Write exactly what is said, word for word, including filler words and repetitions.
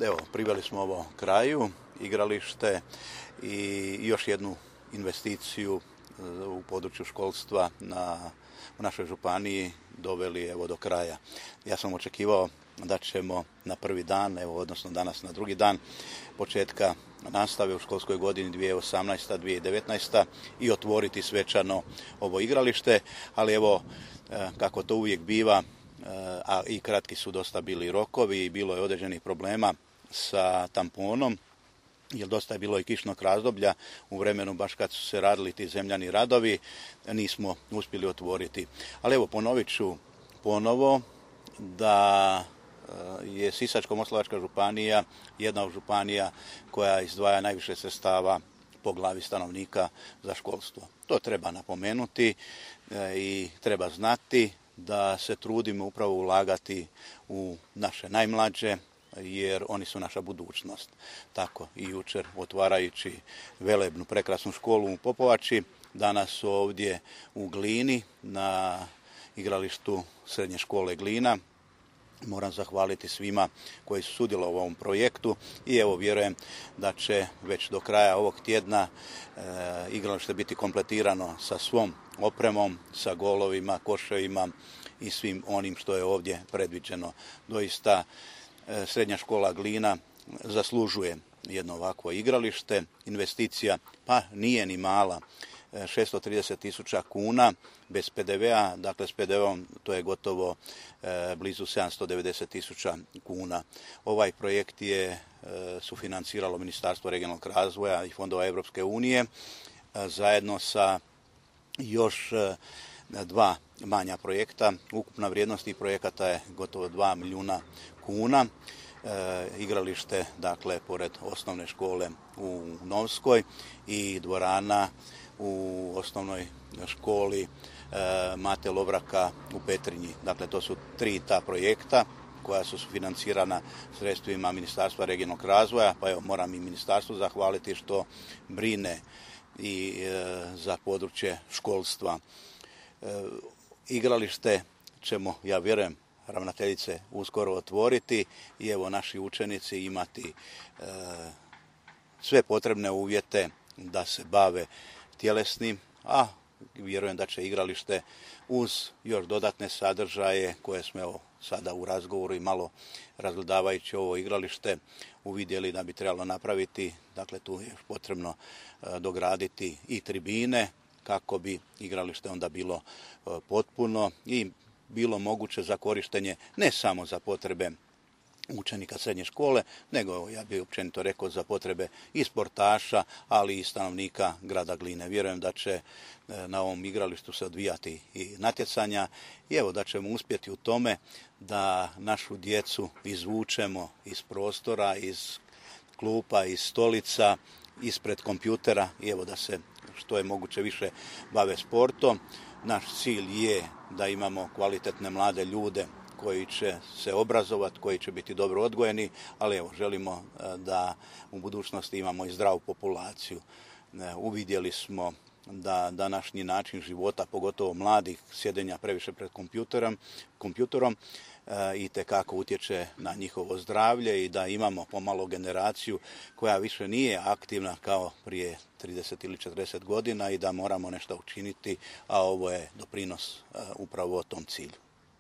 Evo, priveli smo ovo kraju, igralište i još jednu investiciju u području školstva na, u našoj županiji doveli evo do kraja. Ja sam očekivao da ćemo na prvi dan, evo, odnosno danas na drugi dan početka nastave u školskoj godini dvije tisuće osamnaesta dvije tisuće devetnaesta i otvoriti svečano ovo igralište, ali evo, kako to uvijek biva, a i kratki su dosta bili rokovi i bilo je određenih problema sa tamponom, jer dosta je bilo i kišnog razdoblja u vremenu baš kad su se radili ti zemljani radovi, nismo uspjeli otvoriti. Ali evo, ponovit ću ponovo da je Sisačko-moslavačka županija jedna od županija koja izdvaja najviše sredstava po glavi stanovnika za školstvo. To treba napomenuti i treba znati da se trudimo upravo ulagati u naše najmlađe, jer oni su naša budućnost. Tako i jučer otvarajući velebnu prekrasnu školu u Popovači, danas ovdje u Glini na igralištu srednje škole Glina. Moram zahvaliti svima koji su sudjelovali u ovom projektu i evo vjerujem da će već do kraja ovog tjedna e, igralište biti kompletirano sa svom opremom, sa golovima, koševima i svim onim što je ovdje predviđeno. Doista e, srednja škola Glina zaslužuje jedno ovakvo igralište. Investicija pa nije ni mala, šesto trideset tisuća kuna bez pe de vea, dakle s pe de veom to je gotovo e, blizu sedamsto devedeset tisuća kuna. Ovaj projekt je e, sufinanciralo Ministarstvo regionalnog razvoja i fondova Europske unije e, zajedno sa još e, dva manja projekta. Ukupna vrijednost tih projekata je gotovo dva milijuna kuna. E, igralište, dakle, pored osnovne škole u Novskoj i dvorana u osnovnoj školi e, Mate Lovraka u Petrinji. Dakle, to su tri ta projekta koja su financirana sredstvima Ministarstva regionalnog razvoja, pa evo moram i ministarstvu zahvaliti što brine i e, za područje školstva. E, igralište ćemo, ja vjerujem, ravnateljice uskoro otvoriti i evo naši učenici imati e, sve potrebne uvjete da se bave tjelesnim, a vjerujem da će igralište uz još dodatne sadržaje koje smo evo sada u razgovoru i malo razgledavajući ovo igralište uvidjeli da bi trebalo napraviti. Dakle, tu je potrebno e, dograditi i tribine kako bi igralište onda bilo e, potpuno i bilo moguće za korištenje ne samo za potrebe učenika srednje škole, nego ja bih općenito rekao za potrebe i sportaša, ali i stanovnika grada Gline. Vjerujem da će na ovom igralištu se odvijati i natjecanja i evo da ćemo uspjeti u tome da našu djecu izvučemo iz prostora, iz klupa, iz stolica, ispred kompjutera i evo da se što je moguće više bave sportom. Naš cilj je da imamo kvalitetne mlade ljude koji će se obrazovati, koji će biti dobro odgojeni, ali evo želimo da u budućnosti imamo i zdravu populaciju. Uvidjeli smo da današnji način života, pogotovo mladih, sjedenja previše pred kompjuterom, kompjuterom itekako utječe na njihovo zdravlje i da imamo pomalo generaciju koja više nije aktivna kao prije trideset ili četrdeset godina i da moramo nešto učiniti, a ovo je doprinos upravo o tom cilju.